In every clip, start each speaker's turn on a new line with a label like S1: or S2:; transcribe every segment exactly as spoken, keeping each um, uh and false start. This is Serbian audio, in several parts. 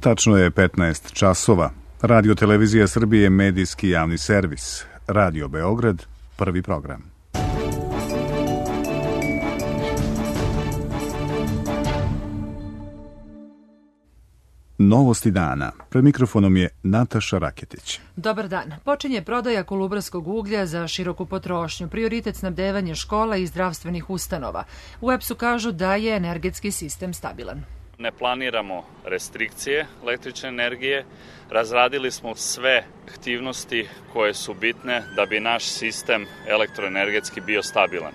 S1: Tačno je petnaest časova. Radio Televizija Srbije, medijski javni servis. Radio Beograd, prvi program. Novosti dana. Pred mikrofonom je Nataša Raketić.
S2: Dobar dan. Počinje prodaja kolubarskog uglja za široku potrošnju. Prioritet snabdevanje škola i zdravstvenih ustanova. U E P S-u kažu da je energetski sistem stabilan.
S3: Ne planiramo restrikcije električne energije. Razradili smo sve aktivnosti koje su bitne da bi naš sistem elektroenergetski bio stabilan.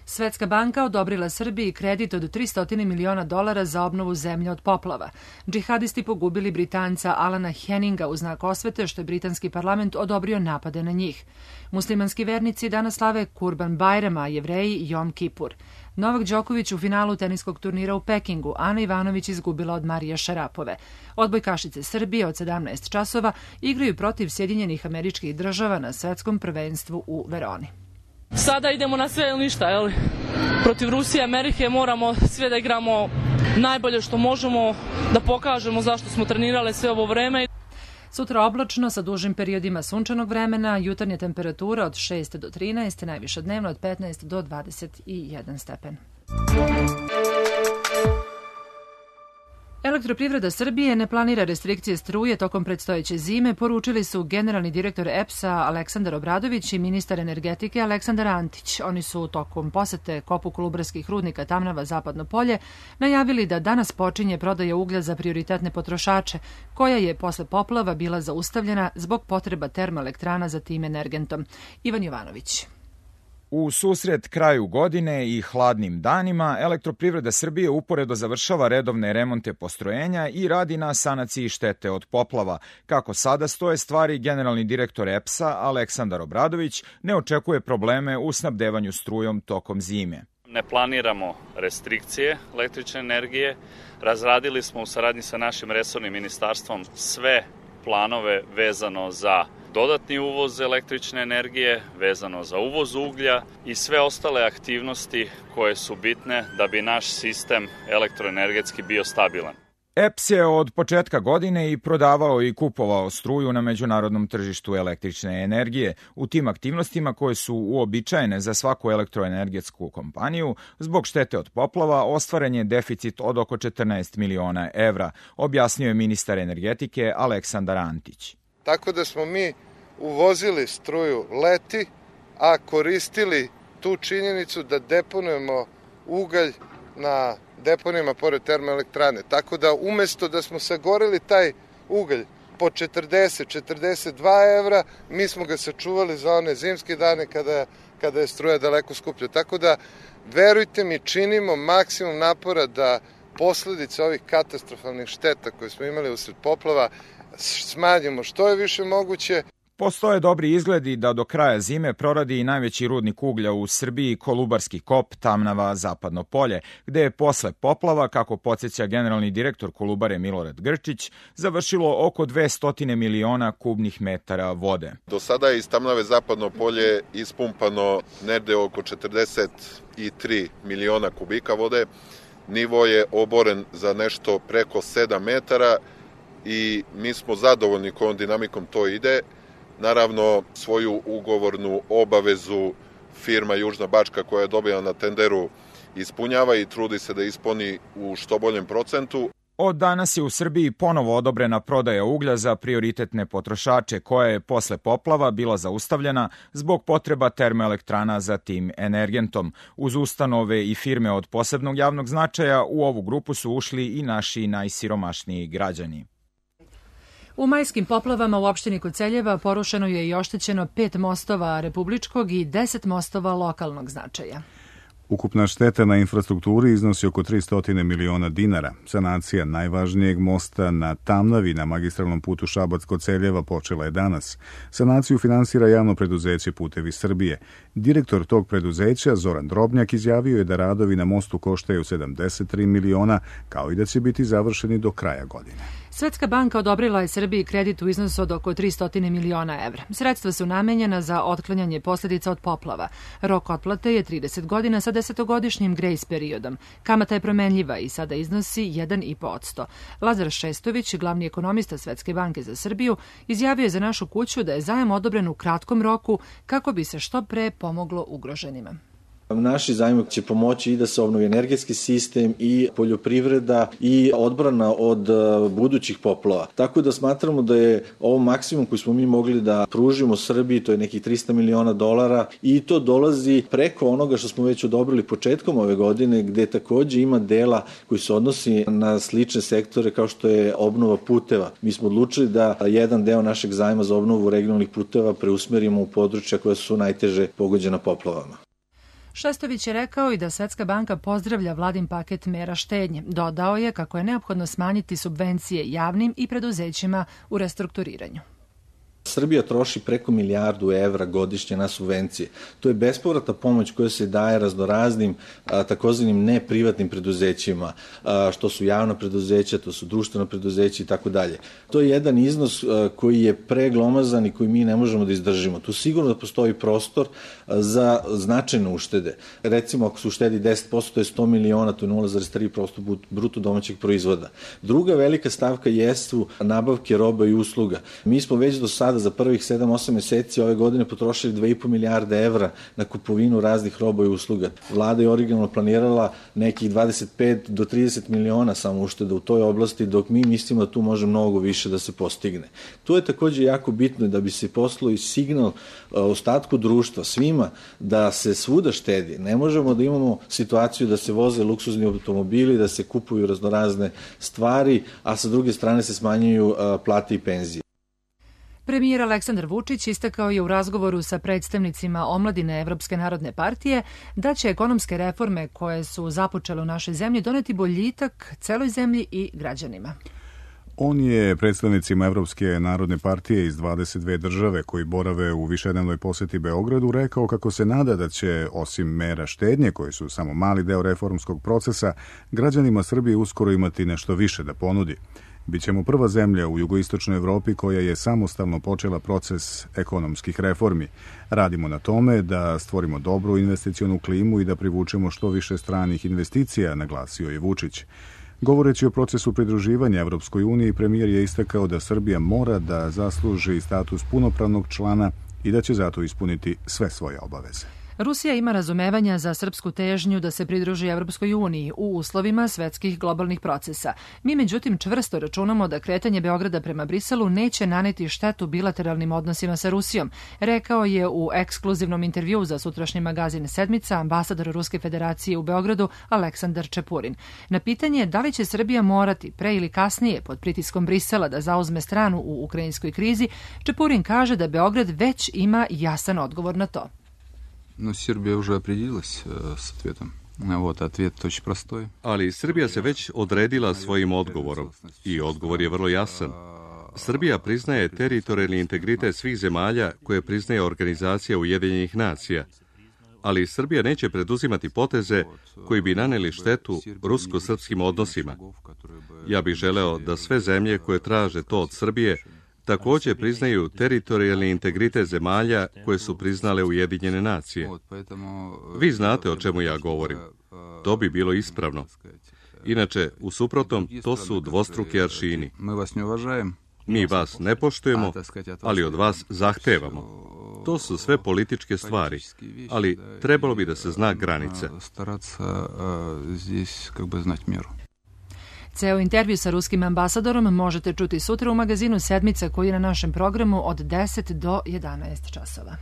S2: Svetska banka odobrila Srbiji kredit od tristo miliona dolara za obnovu zemlje od poplava. Džihadisti pogubili Britanca Alana Henninga u znak osvete što je britanski parlament odobrio napade na njih. Muslimanski vernici danas slave Kurban Bajram, a Jevreji Jom Kipur. Novak Đoković u finalu teniskog turnira u Pekingu, Ana Ivanović izgubila od Marije Šarapove. Odbojkašice Srbije od sedamnaest časova igraju protiv Sjedinjenih Američkih Država na svetskom prvenstvu u Veroni.
S4: Sada idemo na sve ili ništa, jel? Protiv Rusije i Amerike moramo sve da igramo najbolje što možemo, da pokažemo zašto smo trenirali sve ovo vreme.
S2: Sutra oblačno sa dužim periodima sunčanog vremena, jutarnja temperatura od šest do trinaest, najviša dnevno od petnaest do dvadeset jedan stepen. Elektroprivreda Srbije ne planira restrikcije struje tokom predstojeće zime, poručili su generalni direktor E P S-a Aleksandar Obradović i ministar energetike Aleksandar Antić. Oni su tokom posete kopu kolubarskih rudnika Tamnava Zapadno polje najavili da danas počinje prodaja uglja za prioritetne potrošače, koja je posle poplava bila zaustavljena zbog potreba termoelektrana za tim energentom. Ivan Jovanović.
S5: U susret kraju godine i hladnim danima, Elektroprivreda Srbije uporedo završava redovne remonte postrojenja i radi na sanaciji štete od poplava. Kako sada stoje stvari, generalni direktor E P S-a Aleksandar Obradović ne očekuje probleme u snabdevanju strujom tokom zime.
S3: Ne planiramo restrikcije električne energije. Razradili smo u saradnji sa našim resornim ministarstvom sve planove vezano za dodatni uvoz električne energije, vezano za uvoz uglja i sve ostale aktivnosti koje su bitne da bi naš sistem elektroenergetski bio stabilan.
S5: E P S je od početka godine i prodavao i kupovao struju na međunarodnom tržištu električne energije. U tim aktivnostima koje su uobičajene za svaku elektroenergetsku kompaniju, zbog štete od poplava ostvaren je deficit od oko četrnaest miliona evra, objasnio je ministar energetike Aleksandar Antić.
S6: Tako da smo mi uvozili struju leti, a koristili tu činjenicu da deponujemo ugalj na deponijama pored termoelektrane. Tako da umesto da smo sagorili taj ugalj po četrdeset do četrdeset dva evra, mi smo ga sačuvali za one zimske dane kada, kada je struja daleko skuplja. Tako da, verujte mi, činimo maksimum napora da posledice ovih katastrofalnih šteta koje smo imali usred poplava smanjimo što je više moguće.
S5: Postoje dobri izgledi da do kraja zime proradi i najveći rudnik uglja u Srbiji, Kolubarski kop Tamnava Zapadno polje, gde je posle poplava, kako podsjeća generalni direktor Kolubare Milorad Grčić, završilo oko dvesta miliona kubnih metara vode.
S7: Do sada je iz Tamnave Zapadno polje ispumpano negde oko četrdeset tri miliona kubika vode. Nivo je oboren za nešto preko sedam metara i mi smo zadovoljni kojom dinamikom to ide. Naravno, svoju ugovornu obavezu firma Južna Bačka koja je dobila na tenderu ispunjava i trudi se da ispuni u što boljem procentu.
S5: Od danas je u Srbiji ponovo odobrena prodaja uglja za prioritetne potrošače koja je posle poplava bila zaustavljena zbog potreba termoelektrana za tim energentom. Uz ustanove i firme od posebnog javnog značaja u ovu grupu su ušli i naši najsiromašniji građani.
S2: U majskim poplavama u opštini Koceljeva porušeno je i oštećeno pet mostova republičkog i deset mostova lokalnog značaja.
S1: Ukupna šteta na infrastrukturi iznosi oko tristo miliona dinara. Sanacija najvažnijeg mosta na Tamnavi na magistralnom putu Šabac-Koceljeva počela je danas. Sanaciju finansira javno preduzeće Putevi Srbije. Direktor tog preduzeća, Zoran Drobnjak, izjavio je da radovi na mostu koštaju sedamdeset tri miliona, kao i da će biti završeni do kraja godine.
S2: Svetska banka odobrila je Srbiji kredit u iznosu od oko tristo miliona evra. Sredstva su namenjena za otklanjanje posljedica od poplava. Rok otplate je trideset godina sa desetogodišnjim grejs periodom. Kamata je promenljiva i sada iznosi jedan i po posto. Lazar Šestović, glavni ekonomista Svetske banke za Srbiju, izjavio je za našu kuću da je zajam odobren u kratkom roku kako bi se što pre pomoglo ugroženima.
S8: Naši zajmovi će pomoći i da se obnovi energetski sistem i poljoprivreda i odbrana od budućih poplava. Tako da smatramo da je ovo maksimum koji smo mi mogli da pružimo Srbiji, to je nekih trista miliona dolara i to dolazi preko onoga što smo već odobrili početkom ove godine, gde takođe ima dela koji se odnosi na slične sektore kao što je obnova puteva. Mi smo odlučili da jedan deo našeg zajma za obnovu regionalnih puteva preusmerimo u područja koja su najteže pogođena poplavama.
S2: Šestović je rekao i da Svetska banka pozdravlja vladin paket mera štednje. Dodao je kako je neophodno smanjiti subvencije javnim i preduzećima u restrukturiranju.
S8: Srbija troši preko milijardu evra godišnje na subvencije. To je bespovratna pomoć koja se daje raznoraznim takozvanim neprivatnim preduzećima, a, što su javna preduzeća, to su društvena preduzeća i tako dalje. To je jedan iznos a, koji je preglomazan i koji mi ne možemo da izdržimo. Tu sigurno da postoji prostor a, za značajne uštede. Recimo, ako se uštedi deset posto, to je sto miliona, to je nula zarez tri posto bruto domaćeg proizvoda. Druga velika stavka jesu nabavke roba i usluga. Mi smo već do sada za prvih sedam osam meseci ove godine potrošili dve i po milijarde evra na kupovinu raznih roba i usluga. Vlada je originalno planirala nekih dvadeset pet do trideset miliona samo ušteda u toj oblasti, dok mi mislimo da tu može mnogo više da se postigne. Tu je takođe jako bitno da bi se poslao i signal ostatku društva, svima, da se svuda štedi. Ne možemo da imamo situaciju da se voze luksuzni automobili, da se kupuju raznorazne stvari, a sa druge strane se smanjuju plate i penzije.
S2: Premijer Aleksandar Vučić istakao je u razgovoru sa predstavnicima omladine Evropske narodne partije da će ekonomske reforme koje su započele u našoj zemlji doneti boljitak celoj zemlji i građanima.
S1: On je predstavnicima Evropske narodne partije iz dvadeset dve države koji borave u višednevnoj poseti Beogradu rekao kako se nada da će, osim mera štednje, koji su samo mali deo reformskog procesa, građanima Srbije uskoro imati nešto više da ponudi. Bićemo prva zemlja u jugoistočnoj Evropi koja je samostalno počela proces ekonomskih reformi. Radimo na tome da stvorimo dobru investicionu klimu i da privučemo što više stranih investicija, naglasio je Vučić. Govoreći o procesu pridruživanja Evropskoj uniji, premijer je istakao da Srbija mora da zasluži status punopravnog člana i da će zato ispuniti sve svoje obaveze.
S2: Rusija ima razumevanja za srpsku težnju da se pridruži Evropskoj uniji u uslovima svetskih globalnih procesa. Mi međutim čvrsto računamo da kretanje Beograda prema Briselu neće naneti štetu bilateralnim odnosima sa Rusijom, rekao je u ekskluzivnom intervjuu za sutrašnji magazin Sedmica ambasador Ruske federacije u Beogradu Aleksandar Čepurin. Na pitanje da li će Srbija morati pre ili kasnije pod pritiskom Brisela da zauzme stranu u ukrajinskoj krizi, Čepurin kaže da Beograd već ima jasan odgovor na to.
S9: Но Сербия уже определилась э, с ответом. Вот, ответ очень простой.
S10: Ali Srbija se već odredila svojim odgovorom i odgovor je vrlo jasan. Srbija priznaje teritorijalni integritet svih zemalja koje priznaje Organizacija Ujedinjenih nacija, ali Srbija neće preduzimati poteze koji bi naneli štetu rusko-srpskim odnosima. Ja bih želeo da sve zemlje koje traže to od Srbije također priznaju teritorijalni integritet zemalja koje su priznale Ujedinjene nacije. Vi znate o čemu ja govorim. To bi bilo ispravno. Inače, u suprotnom, to su dvostruki aršini. Mi vas ne poštujemo, ali od vas zahtevamo. To su sve političke stvari, ali trebalo bi da se zna granice.
S2: Ceo intervju sa ruskim ambasadorom možete čuti sutra u magazinu Sedmica koji je na našem programu od deset do jedanaest časova.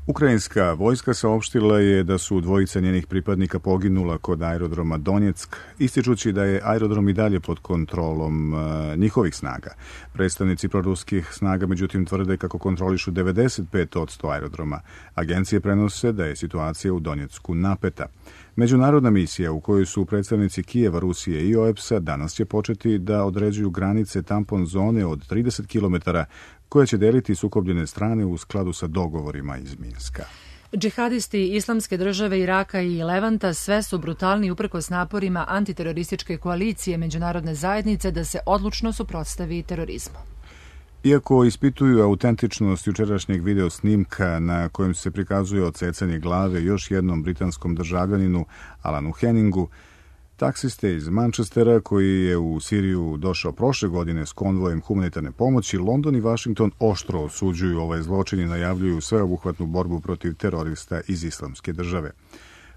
S1: Ukrajinska vojska saopštila je da su dvojica njenih pripadnika poginula kod aerodroma Donjeck, ističući da je aerodrom i dalje pod kontrolom uh, njihovih snaga. Predstavnici proruskih snaga međutim tvrde kako kontrolišu devedeset pet posto aerodroma. Agencije prenose da je situacija u Donjecku napeta. Međunarodna misija u kojoj su predstavnici Kijeva, Rusije i O E P S-a danas će početi da određuju granice tampon zone od trideset kilometara koje će deliti sukobljene strane u skladu sa dogovorima iz Minska.
S2: Džihadisti Islamske države Iraka i Levanta sve su brutalni uprkos naporima antiterorističke koalicije međunarodne zajednice da se odlučno suprotstavi terorizmu.
S1: Iako ispituju autentičnost jučerašnjeg video snimka na kojem se prikazuje odsecanje glave još jednom britanskom državljaninu Alanu Henningu, taksiste iz Manchestera, koji je u Siriju došao prošle godine s konvojem humanitarne pomoći, London i Washington oštro osuđuju ovaj zločin i najavljuju sveobuhvatnu borbu protiv terorista iz Islamske države.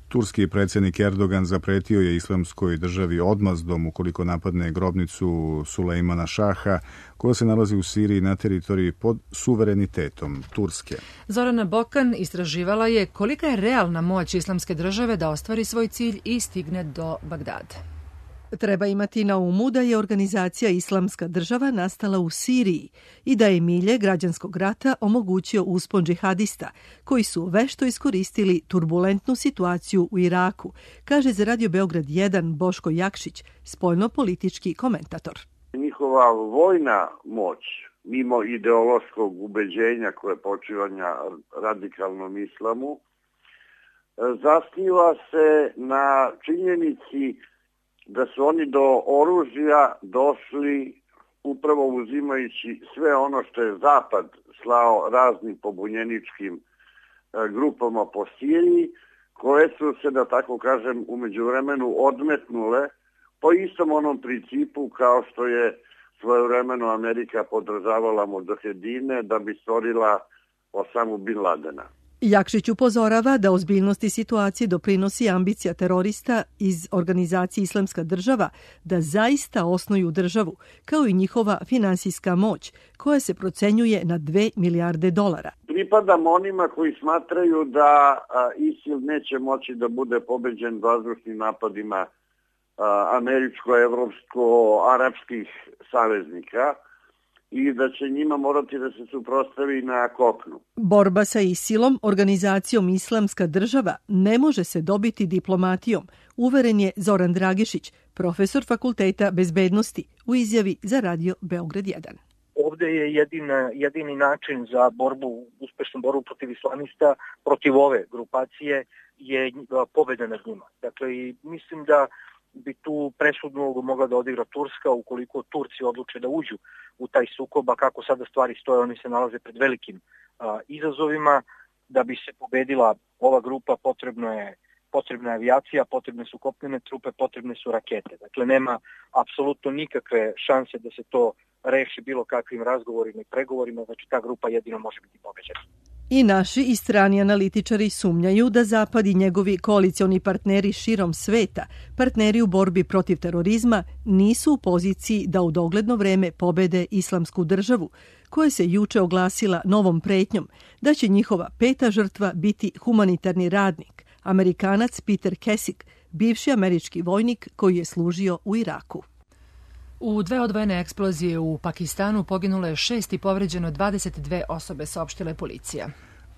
S1: Turski predsjednik Erdogan zapretio je Islamskoj državi odmazdom ukoliko napadne grobnicu Sulejmana Šaha, koja se nalazi u Siriji na teritoriji pod suverenitetom Turske.
S2: Zorana Bokan istraživala je kolika je realna moć Islamske države da ostvari svoj cilj i stigne do Bagdada.
S11: Treba imati na umu da je organizacija Islamska država nastala u Siriji i da je milje građanskog rata omogućio uspon džihadista, koji su vešto iskoristili turbulentnu situaciju u Iraku, kaže za Radio Beograd jedan Boško Jakšić, spoljno-politički komentator.
S12: Njihova vojna moć, mimo ideološkog ubeđenja koje počiva na radikalnom islamu, zasniva se na činjenici da su oni do oružja došli upravo uzimajući sve ono što je Zapad slao raznim pobunjeničkim grupama po Siriji, koje su se, da tako kažem, u međuvremenu odmetnule po istom onom principu kao što je svojevremeno Amerika podržavala mudžahedine da bi stvorila Osamu bin Ladena.
S11: Jakšić upozorava da ozbiljnosti situacije doprinosi ambicija terorista iz organizacije Islamska država da zaista osnuju državu, kao i njihova finansijska moć, koja se procenjuje na dve milijarde dolara.
S12: Pripadam onima koji smatraju da ISIL neće moći da bude pobeđen vazdušnim napadima američko-evropsko-arapskih saveznika i da će njima morati da se suprotstavi na kopnu.
S11: Borba sa ISIL-om, organizacijom Islamska država, ne može se dobiti diplomatijom, uveren je Zoran Dragišić, profesor Fakulteta bezbednosti, u izjavi za Radio Beograd jedan.
S13: Ovde je jedin, jedini način za borbu, uspešnu borbu protiv islamista, protiv ove grupacije, je pobeda nad njima. Dakle, i mislim da bi tu presudnu ulogu mogla da odigra Turska ukoliko Turci odluče da uđu u taj sukob, a kako sada stvari stoje, oni se nalaze pred velikim a, izazovima. Da bi se pobedila ova grupa potrebno je, potrebna je avijacija, potrebne su kopnene trupe, potrebne su rakete. Dakle, nema apsolutno nikakve šanse da se to reši bilo kakvim razgovorima i pregovorima, znači ta grupa jedino može biti pobeđena.
S11: I naši i strani analitičari sumnjaju da Zapad i njegovi koalicioni partneri širom sveta, partneri u borbi protiv terorizma, nisu u poziciji da u dogledno vreme pobede Islamsku državu, koja se juče oglasila novom pretnjom da će njihova peta žrtva biti humanitarni radnik, Amerikanac Peter Kesik, bivši američki vojnik koji je služio u Iraku.
S2: U dve odvojene eksplozije u Pakistanu poginulo je šest i povređeno dvadeset dve osobe, saopštila je policija.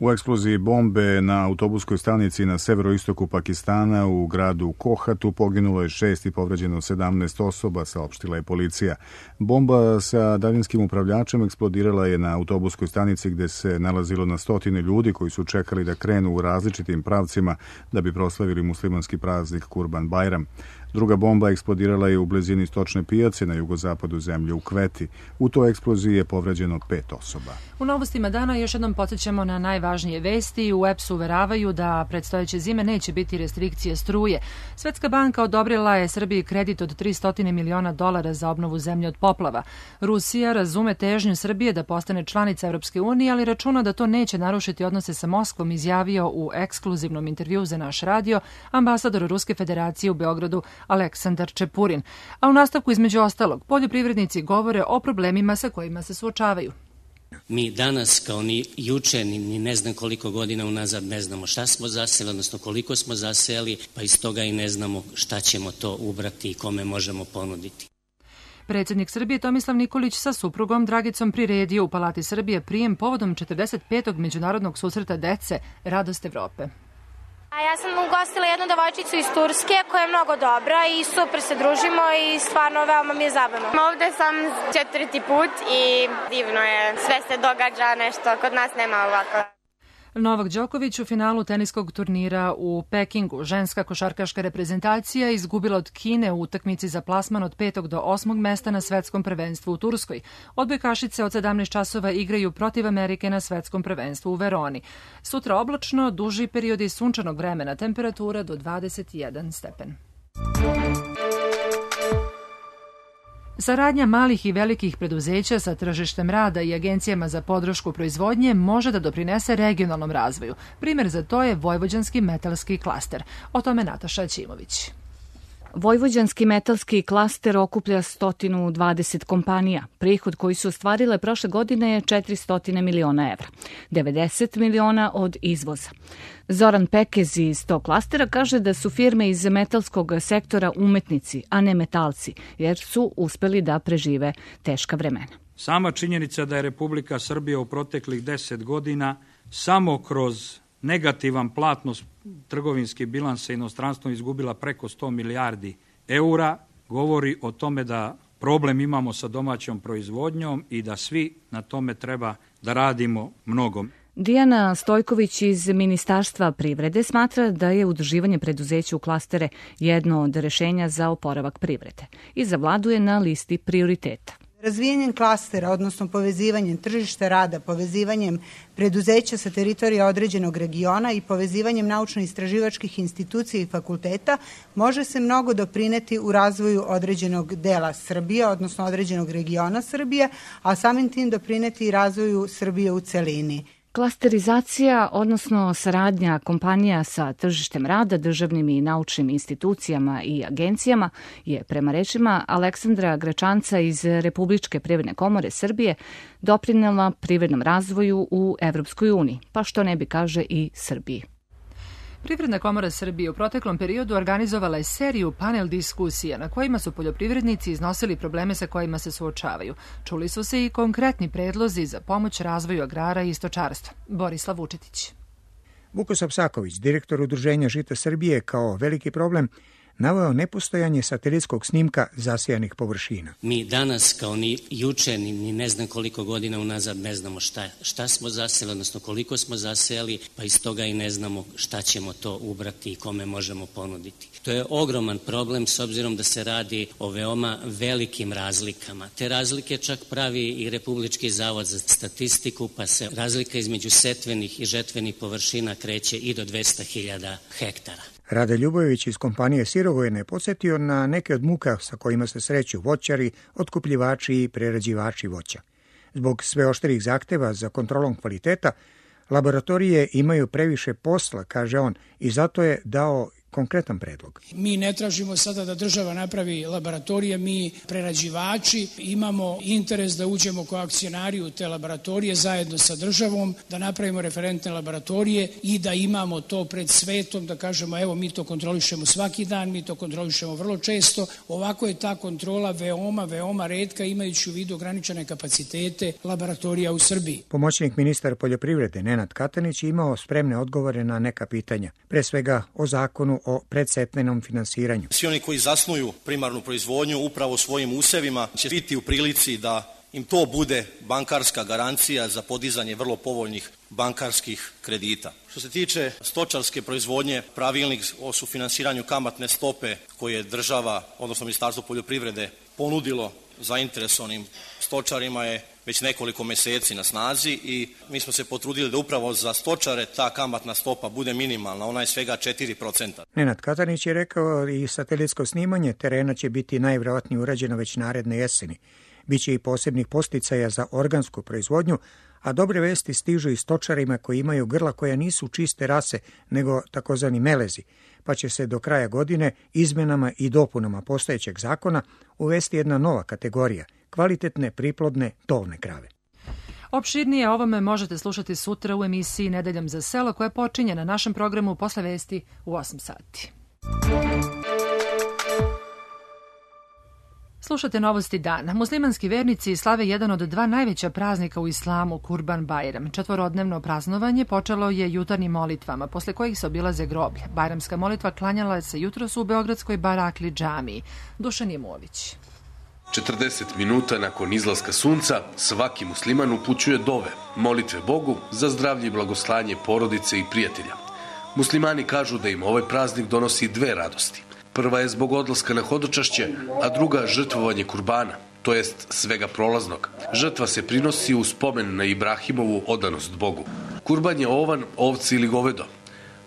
S1: U eksploziji bombe na autobuskoj stanici na severoistoku Pakistana u gradu Kohatu poginulo je šest i povređeno sedamnaest osoba, saopštila je policija. Bomba sa daljinskim upravljačem eksplodirala je na autobuskoj stanici gde se nalazilo na stotine ljudi koji su čekali da krenu u različitim pravcima da bi proslavili muslimanski praznik Kurban Bajram. Druga bomba eksplodirala je u blizini stočne pijace na jugozapadu zemlje u Kveti. U toj eksploziji je povređeno pet osoba.
S2: U novostima dana još jednom podsjećamo na najvažnije vesti. U E P S-u uveravaju da predstojeće zime neće biti restrikcije struje. Svetska banka odobrila je Srbiji kredit od tristo miliona dolara za obnovu zemlje od poplava. Rusija razume težnju Srbije da postane članica Evropske unije, ali računa da to neće narušiti odnose sa Moskvom, izjavio u ekskluzivnom intervjuu za naš radio ambasador Ruske federacije u Beogradu Aleksandar Čepurin. A u nastavku, između ostalog, poljoprivrednici govore o problemima sa kojima se suočavaju.
S14: Mi danas, kao ni juče, ni, ni ne znam koliko godina unazad, ne znamo šta smo zaseli, odnosno koliko smo zaseli, pa iz toga i ne znamo šta ćemo to ubrati i kome možemo ponuditi.
S2: Predsjednik Srbije Tomislav Nikolić sa suprugom Dragicom priredio u Palati Srbije prijem povodom četrdeset petog međunarodnog susreta dece Radost Evrope.
S15: A ja sam ugostila jednu devojčicu iz Turske koja je mnogo dobra i super se družimo i stvarno veoma mi je zabavno.
S16: Ovde sam četvrti put i divno je, sve se događa nešto, kod nas nema ovako.
S2: Novak Đoković u finalu teniskog turnira u Pekingu. Ženska košarkaška reprezentacija izgubila od Kine u utakmici za plasman od petog do osmog mesta na svetskom prvenstvu u Turskoj. Odbojkašice od sedamnaest časova igraju protiv Amerike na svetskom prvenstvu u Veroni. Sutra oblačno, duži periodi sunčanog vremena, temperatura do dvadeset jedan stepen. Saradnja malih i velikih preduzeća sa tržištem rada i agencijama za podršku proizvodnje može da doprinese regionalnom razvoju. Primer za to je Vojvođanski metalski klaster. O tome Nataša Ćimović.
S16: Vojvođanski metalski klaster okuplja sto dvadeset kompanija. Prihod koji su ostvarile prošle godine je četiristo miliona evra, devedeset miliona od izvoza. Zoran Pekez iz tog klastera kaže da su firme iz metalskog sektora umetnici, a ne metalci, jer su uspeli da prežive teška vremena.
S17: Sama činjenica da je Republika Srbija u proteklih deset godina samo kroz negativan platnost trgovinski bilans sa inostranstvom izgubila preko sto milijardi eura, govori o tome da problem imamo sa domaćom proizvodnjom i da svi na tome treba da radimo mnogo.
S16: Dijana Stojković iz Ministarstva privrede smatra da je udruživanje preduzeća u klastere jedno od rešenja za oporavak privrede i zavladuje na listi prioriteta.
S18: Razvijanjem klastera, odnosno povezivanjem tržišta rada, povezivanjem preduzeća sa teritorija određenog regiona i povezivanjem naučno-istraživačkih institucija i fakulteta može se mnogo doprineti u razvoju određenog dela Srbije, odnosno određenog regiona Srbije, a samim tim doprineti i razvoju Srbije u celini.
S16: Klasterizacija, odnosno saradnja kompanija sa tržištem rada, državnim i naučnim institucijama i agencijama je, prema rečima Aleksandra Gračanca iz Republičke privredne komore Srbije, doprinela privrednom razvoju u Evropskoj uniji, pa što ne bi kaže i Srbiji.
S2: Privredna komora Srbije u proteklom periodu organizovala je seriju panel diskusija na kojima su poljoprivrednici iznosili probleme sa kojima se suočavaju. Čuli su se i konkretni predlozi za pomoć razvoju agrara i stočarstva. Borislav Vučetić.
S19: Vukosav Saković, direktor Udruženja Žita Srbije, kao veliki problem naveo nepostojanje satelitskog snimka zasijanih površina.
S14: Mi danas, kao ni juče, ni, ni ne znam koliko godina unazad, ne znamo šta, šta smo zaseli, odnosno koliko smo zaseli, pa iz toga i ne znamo šta ćemo to ubrati i kome možemo ponuditi. To je ogroman problem s obzirom da se radi o veoma velikim razlikama. Te razlike čak pravi i Republički zavod za statistiku, pa se razlika između setvenih i žetvenih površina kreće i do dvesta hiljada hektara.
S19: Rade Ljubojević iz kompanije Sirogojene je podsjetio na neke od muka sa kojima se sreću voćari, otkupljivači i prerađivači voća. Zbog sve oštrih zahteva za kontrolom kvaliteta, laboratorije imaju previše posla, kaže on, i zato je dao konkretan predlog.
S20: Mi ne tražimo sada da država napravi laboratorije, mi prerađivači imamo interes da uđemo kao akcionari u te laboratorije zajedno sa državom, da napravimo referentne laboratorije i da imamo to pred svetom, da kažemo evo mi to kontrolišemo svaki dan, mi to kontrolišemo vrlo često. Ovako je ta kontrola veoma, veoma retka imajući u vidu ograničene kapacitete laboratorija u Srbiji.
S19: Pomoćnik ministar poljoprivrede Nenad Katanić imao spremne odgovore na neka pitanja, pre svega o zakonu o predsetvenom finansiranju.
S21: Svi oni koji zasnuju primarnu proizvodnju upravo svojim usevima će biti u prilici da im to bude bankarska garancija za podizanje vrlo povoljnih bankarskih kredita. Što se tiče stočarske proizvodnje, pravilnik o sufinansiranju kamatne stope koje je država, odnosno Ministarstvo poljoprivrede, ponudilo zainteresovanim stočarima je već nekoliko meseci na snazi i mi smo se potrudili da upravo za stočare ta kamatna stopa bude minimalna, ona je svega četiri procenta.
S19: Nenad Katanić je rekao i satelitsko snimanje terena će biti najvjerojatnije urađeno već naredne jeseni. Biće i posebnih posticaja za organsku proizvodnju, a dobre vesti stižu i stočarima koji imaju grla koja nisu čiste rase, nego takozvani melezi, pa će se do kraja godine izmenama i dopunama postojećeg zakona uvesti jedna nova kategorija, kvalitetne, priplodne, tovne krave.
S2: Opširnije o ovome možete slušati sutra u emisiji Nedeljom za selo koja počinje na našem programu posle vesti u osam sati. Slušate novosti dana. Muslimanski vernici slave jedan od dva najveća praznika u islamu, Kurban Bajram. Četvorodnevno praznovanje počelo je jutarnjim molitvama, posle kojih se obilaze groblje. Bajramska molitva klanjala se jutros u Beogradskoj Barakli džamiji. Dušan Jemović.
S4: četrdeset minuta nakon izlaska sunca svaki musliman upućuje dove, molitve Bogu za zdravlje i blagoslanje porodice i prijatelja. Muslimani kažu da im ovaj praznik donosi dve radosti. Prva je zbog odlaska na hodočašće, a druga žrtvovanje kurbana, to jest svega prolaznog. Žrtva se prinosi u spomen na Ibrahimovu odanost Bogu. Kurban je ovan, ovce ili govedo.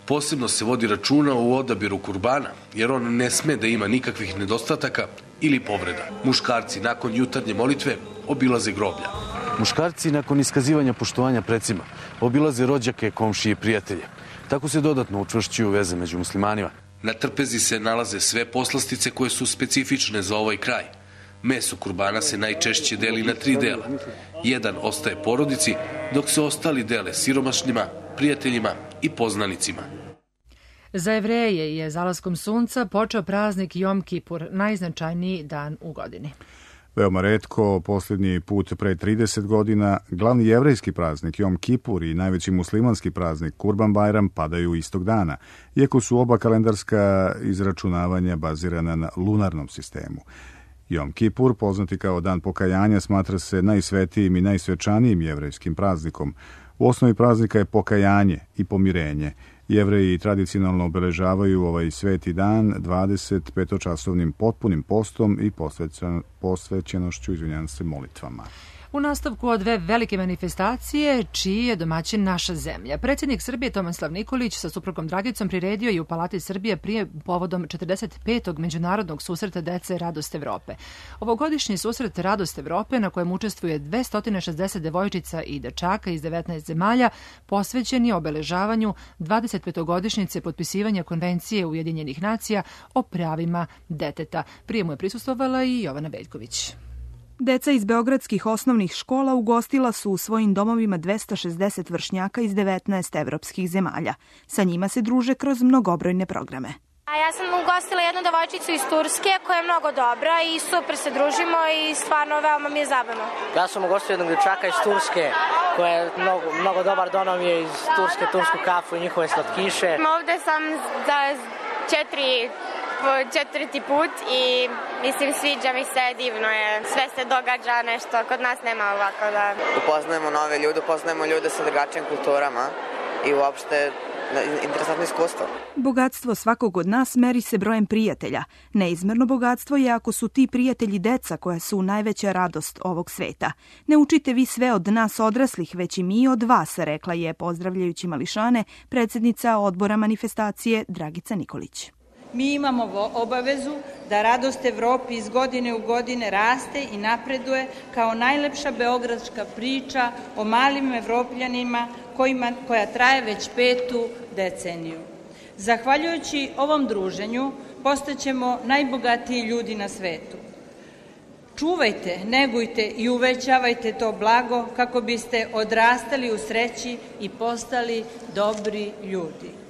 S4: Posebno se vodi računa u odabiru kurbana, jer on ne sme da ima nikakvih nedostataka ili povreda. Muškarci nakon jutarnje molitve obilaze groblja.
S22: Muškarci nakon iskazivanja poštovanja precima obilaze rođake, komšije i prijatelje. Tako se dodatno učvršćuju veze među muslimanima.
S4: Na trpezi se nalaze sve poslastice koje su specifične za ovaj kraj. Meso kurbana se najčešće deli na tri dela. Jedan ostaje porodici, dok se ostali dele siromašnima, prijateljima i poznanicima.
S2: Za Jevreje je zalaskom sunca počeo praznik Jom Kipur, najznačajniji dan u godini.
S1: Veoma retko, posljednji put pre trideset godina, glavni jevrejski praznik Jom Kipur i najveći muslimanski praznik Kurban Bajram padaju istog dana, iako su oba kalendarska izračunavanja bazirana na lunarnom sistemu. Jom Kipur, poznati kao dan pokajanja, smatra se najsvetijim i najsvečanijim jevrejskim praznikom. U osnovi praznika je pokajanje i pomirenje. Jevreji tradicionalno obeležavaju ovaj sveti dan dvadeset petočasovnim potpunim postom i posvećenošću, izvinjavam se, molitvama.
S2: U nastavku od dve velike manifestacije, čiji je domaćin naša zemlja. Predsjednik Srbije Tomislav Nikolić sa suprugom Dragicom priredio je u Palati Srbije prije povodom četrdeset petog međunarodnog susreta dece Radost Evrope. Ovogodišnji susret Radost Evrope, na kojem učestvuje dvesta šezdeset devojčica i dečaka iz devetnaest zemalja, posvećen je obeležavanju dvadesetpetogodišnjice potpisivanja Konvencije Ujedinjenih nacija o pravima deteta. Prije mu je prisustvovala i Jovana Veljković.
S23: Deca iz beogradskih osnovnih škola ugostila su u svojim domovima dvesta šezdeset vršnjaka iz devetnaest evropskih zemalja. Sa njima se druže kroz mnogobrojne programe.
S15: A ja sam ugostila jednu devojčicu iz Turske koja je mnogo dobra i super se družimo i stvarno veoma mi je zabavno.
S24: Ja sam ugostio jednog dječaka iz Turske koja je mnogo, mnogo dobar, donao mi je iz Turske tursku kafu i njihove slatkiše.
S25: Ovde sam za četiri četvrti put i mislim sviđa mi se, divno je, sve se događa nešto, kod nas nema ovako da...
S26: Upoznajemo nove ljude, upoznajemo ljude sa drugačijim kulturama i uopšte interesantno iskustvo.
S23: Bogatstvo svakog od nas meri se brojem prijatelja. Neizmerno bogatstvo je ako su ti prijatelji deca koja su najveća radost ovog sveta. Ne učite vi sve od nas odraslih, već i mi od vas, rekla je, pozdravljajući mališane, predsjednica odbora manifestacije Dragica Nikolić.
S27: Mi imamo obavezu da Radost Evropi iz godine u godine raste i napreduje kao najlepša beogradska priča o malim Evropljanima kojima, koja traje već petu deceniju. Zahvaljujući ovom druženju postaćemo najbogatiji ljudi na svetu. Čuvajte, negujte i uvećavajte to blago kako biste odrastali u sreći i postali dobri ljudi.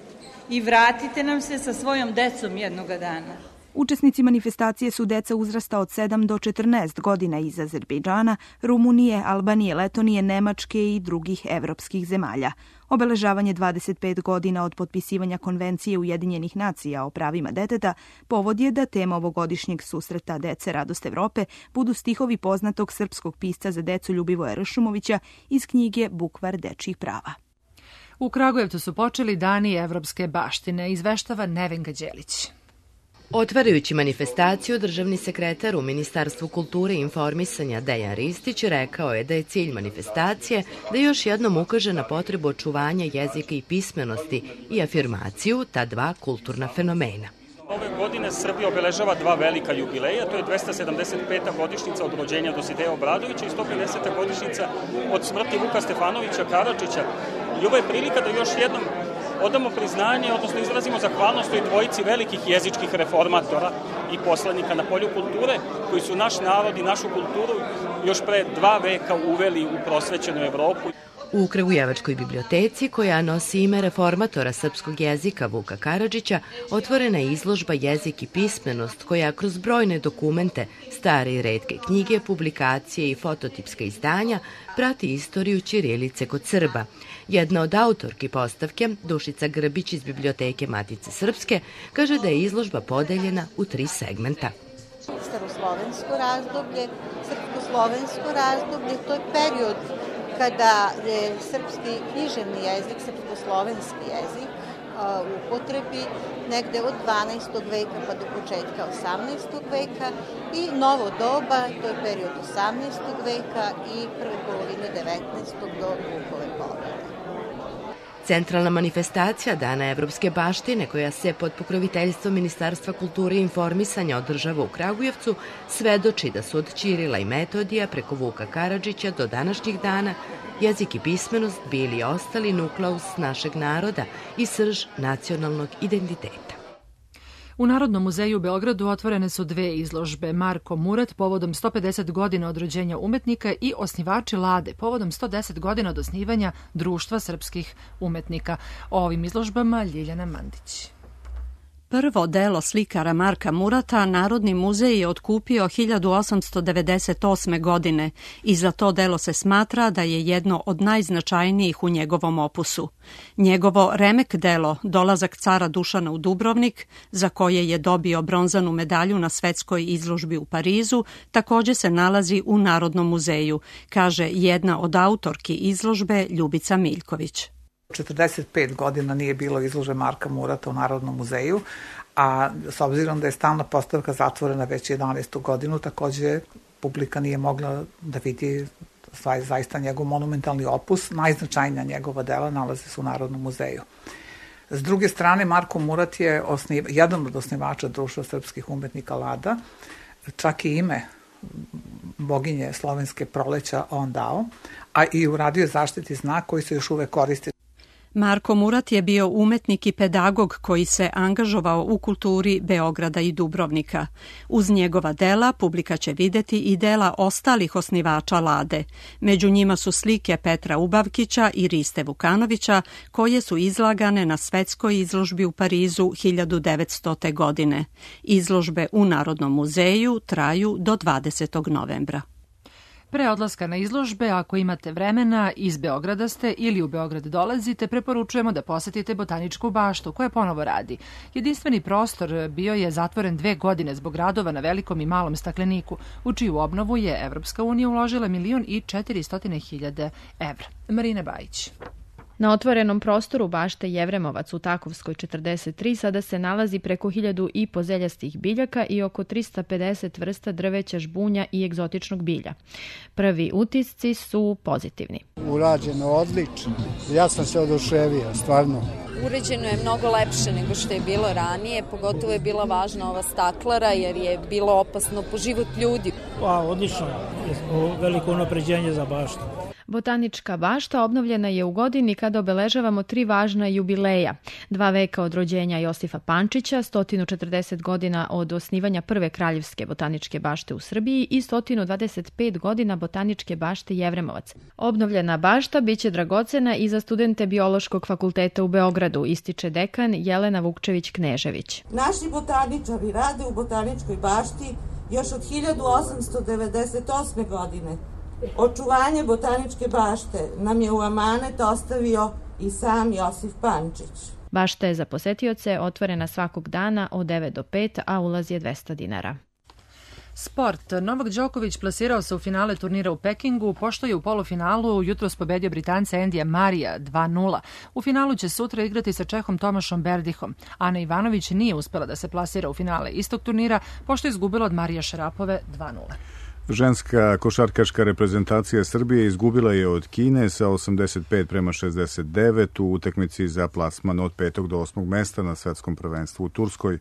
S27: I vratite nam se sa svojom decom jednoga dana.
S23: Učesnici manifestacije su deca uzrasta od sedam do četrnaest godina iz Azerbejdžana, Rumunije, Albanije, Letonije, Nemačke i drugih evropskih zemalja. Obeležavanje dvadeset pet godina od potpisivanja Konvencije Ujedinjenih nacija o pravima deteta povod je da tema ovogodišnjeg susreta dece Radost Evrope budu stihovi poznatog srpskog pisca za decu Ljubivoja Ršumovića iz knjige Bukvar dečjih prava.
S2: U Kragujevcu su počeli dani evropske baštine, izveštava Nevenka Đelić.
S28: Otvarajući manifestaciju, državni sekretar u Ministarstvu kulture i informisanja Dejan Ristić rekao je da je cilj manifestacije da još jednom ukaže na potrebu očuvanja jezika i pismenosti i afirmaciju ta dva kulturna fenomena.
S29: Ove godine Srbija obeležava dva velika jubileja, to je dvesta sedamdeset peta godišnjica od rođenja Dosideja Obradovića i sto pedeseta godišnjica od smrti Vuka Stefanovića Karadžića. I ovo je prilika da još jednom odamo priznanje, odnosno izrazimo zahvalnost toj dvojici velikih jezičkih reformatora i poslanika na polju kulture, koji su naš narod i našu kulturu još pre dva veka uveli u prosvećenu Evropu.
S28: U Kragujevačkoj biblioteci, koja nosi ime reformatora srpskog jezika Vuka Karadžića, otvorena je izložba Jezik i pismenost, koja kroz brojne dokumente, stare i retke knjige, publikacije i fototipska izdanja prati istoriju ćirilice kod Srba. Jedna od autorki postavke, Dušica Grbić iz Biblioteke Matice Srpske, kaže da je izložba podeljena u tri segmenta.
S3: srpsko-slovensko razdoblje. Srpsko-slovensko razdoblje to je period kada je srpski književni jezik, srpsko-slovenski jezik u upotrebi negde od dvanaestog veka pa do početka osamnaestog veka i novo doba, to je period osamnaestog veka i prve polovine devetnaestog do Vukove pobede.
S28: Centralna manifestacija Dana evropske baštine, koja se pod pokroviteljstvom Ministarstva kulture i informisanja održava u Kragujevcu, svedoči da su od Ćirila i Metodija preko Vuka Karadžića do današnjih dana jezik i pismenost bili i ostali nukleus našeg naroda i srž nacionalnog identiteta.
S2: U Narodnom muzeju u Beogradu otvorene su dve izložbe. Marko Murat povodom sto pedeset godina od rođenja umetnika i Osnivači Lade povodom sto deset godina od osnivanja Društva srpskih umetnika. O ovim izložbama Ljiljana Mandić.
S5: Prvo delo slikara Marka Murata Narodni muzej je otkupio hiljadu osamsto devedeset osme. godine i za to delo se smatra da je jedno od najznačajnijih u njegovom opusu. Njegovo remek delo Dolazak cara Dušana u Dubrovnik, za koje je dobio bronzanu medalju na svetskoj izložbi u Parizu, također se nalazi u Narodnom muzeju, kaže jedna od autorki izložbe Ljubica Miljković.
S6: četrdeset pet godina nije bilo izložbe Marka Murata u Narodnom muzeju, a s obzirom da je stalna postavka zatvorena već jedanaestu godinu, također publika nije mogla da vidi zaista njegov monumentalni opus. Najznačajnija njegova dela nalaze se u Narodnom muzeju. S druge strane, Marko Murat je osniv, jedan od osnivača Društva srpskih umetnika Lada, čak i ime boginje slovenske proleća on dao, a i uradio zaštitni znak koji se još uvek koristi.
S5: Marko Murat je bio umetnik i pedagog koji se angažovao u kulturi Beograda i Dubrovnika. Uz njegova dela publika će videti i dela ostalih osnivača Lade. Među njima su slike Petra Ubavkića i Riste Vukanovića, koje su izlagane na svetskoj izložbi u Parizu hiljadu devetstote. godine. Izložbe u Narodnom muzeju traju do dvadesetog novembra.
S2: Pre odlaska na izložbe, ako imate vremena, iz Beograda ste ili u Beograd dolazite, preporučujemo da posetite Botaničku baštu, koja ponovo radi. Jedinstveni prostor bio je zatvoren dve godine zbog radova na velikom i malom stakleniku, u čiju obnovu je Evropska unija uložila milion i četiristotina hiljada evra. Marina Bajić.
S7: Na otvorenom prostoru bašte Jevremovac u Takovskoj četrdeset tri sada se nalazi preko hiljadu i pozeljastih biljaka i oko trista pedeset vrsta drveća, žbunja i egzotičnog bilja. Prvi utisci su pozitivni.
S8: Urađeno odlično. Ja sam se oduševio, stvarno.
S9: Uređeno je mnogo lepše nego što je bilo ranije, pogotovo je bila važna ova staklara jer je bilo opasno po život ljudi.
S10: Pa, odlično, veliko unapređenje za baštu.
S7: Botanička bašta obnovljena je u godini kada obeležavamo tri važna jubileja. Dva veka od rođenja Josifa Pančića, sto četrdeset godina od osnivanja prve kraljevske botaničke bašte u Srbiji i sto dvadeset pet godina botaničke bašte Jevremovac. Obnovljena bašta biće dragocena i za studente Biološkog fakulteta u Beogradu, ističe dekan Jelena Vukčević-Knežević.
S12: Naši botaničari rade u botaničkoj bašti još od hiljadu osamsto devedeset osme. godine. Očuvanje botaničke bašte nam je u amanet ostavio i sam Josif Pančić.
S7: Bašta je za posetioce otvorena svakog dana od devet do pet, a ulaz je dvesta dinara.
S2: Sport. Novak Đoković plasirao se u finale turnira u Pekingu, pošto je u polufinalu jutros pobedio Britanca Endija Marija dva nula. U finalu će sutra igrati sa Čehom Tomašom Berdihom. Ana Ivanović nije uspela da se plasira u finale istog turnira, pošto je izgubila od Marija Šarapove dva nula.
S1: Ženska košarkaška reprezentacija Srbije izgubila je od Kine sa osamdeset pet prema šezdeset devet u utakmici za plasman od petog do osmog mesta na svetskom prvenstvu u Turskoj.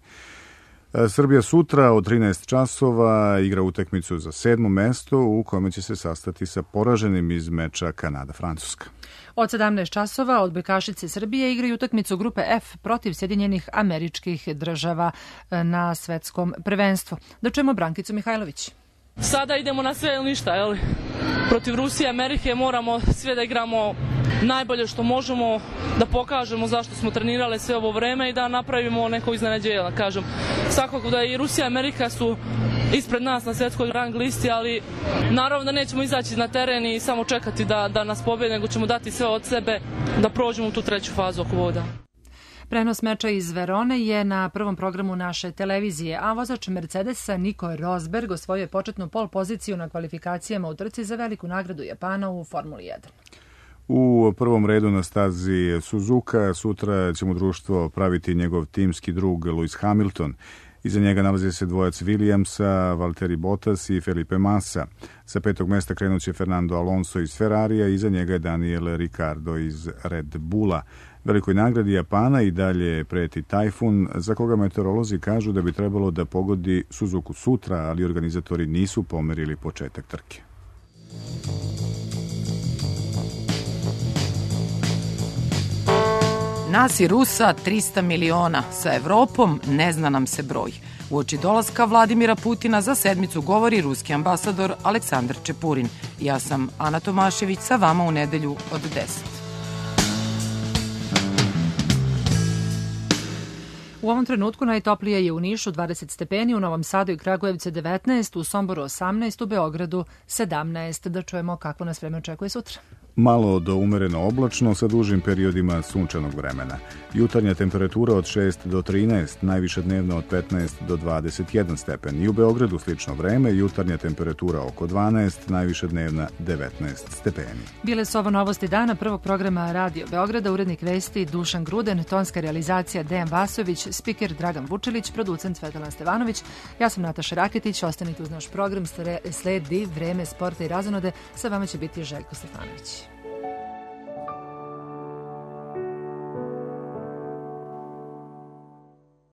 S1: Srbija sutra od trinaest časova igra utakmicu za sedmo mesto u kome će se sastati sa poraženim iz meča Kanada-Francuska.
S2: Od sedamnaest časova odbojkašice Srbije igraju utakmicu grupe F protiv Sjedinjenih Američkih Država na svetskom prvenstvu. Da čujemo Brankicu Mihajlović.
S13: Sada idemo na sve ili ništa, jel? Protiv Rusije i Amerike moramo sve da igramo najbolje što možemo, da pokažemo zašto smo trenirali sve ovo vreme i da napravimo neko iznenađenje, da kažem. Svakako da i Rusija i Amerika su ispred nas na svjetskoj rang listi, ali naravno da nećemo izaći na teren i samo čekati da, da nas pobede, nego ćemo dati sve od sebe da prođemo u tu treću fazu oko voda.
S2: Prenos meča iz Verone je na prvom programu naše televizije, a vozač Mercedesa Nico Rosberg osvojio je početnu pol poziciju na kvalifikacijama u trci za veliku nagradu Japana u Formuli jedan.
S1: U prvom redu na stazi Suzuka sutra će mu društvo praviti njegov timski drug Lewis Hamilton. Iza njega nalazi se dvojac Williamsa, Valtteri Bottas i Felipe Massa. Sa petog mesta krenut će Fernando Alonso iz Ferrarija, iza njega je Daniel Ricciardo iz Red Bulla. Velikoj nagradi Japana i dalje preti tajfun, za koga meteorolozi kažu da bi trebalo da pogodi Suzuku sutra, ali organizatori nisu pomerili početak trke.
S11: Nas i Rusa trista miliona, sa Evropom ne zna nam se broj. Uoči dolaska Vladimira Putina za sedmicu govori ruski ambasador Aleksandar Čepurin. Ja sam Ana Tomašević, sa vama u nedelju od deset.
S2: U ovom trenutku najtoplije je u Nišu dvadeset stepeni, u Novom Sadu i Kragujevcu devetnaest, u Somboru osamnaest, u Beogradu sedamnaest. Da čujemo kako nas vreme očekuje sutra.
S1: Malo do umereno oblačno sa dužim periodima sunčanog vremena. Jutarnja temperatura od šest do trinaest, najviša dnevna od petnaest do dvadeset jedan stepen. I u Beogradu slično vreme, jutarnja temperatura oko dvanaest, najviša dnevna devetnaest stepeni.
S2: Bile su ovo novosti dana prvog programa Radio Beograda, urednik vesti Dušan Gruden, tonska realizacija Dejan Vasović, spiker Dragan Vučilić, producent Svetlana Stevanović. Ja sam Nataša Raketić, ostanite uz naš program, sledi vreme sporta i razonode, sa vama će biti Željko Stefanović.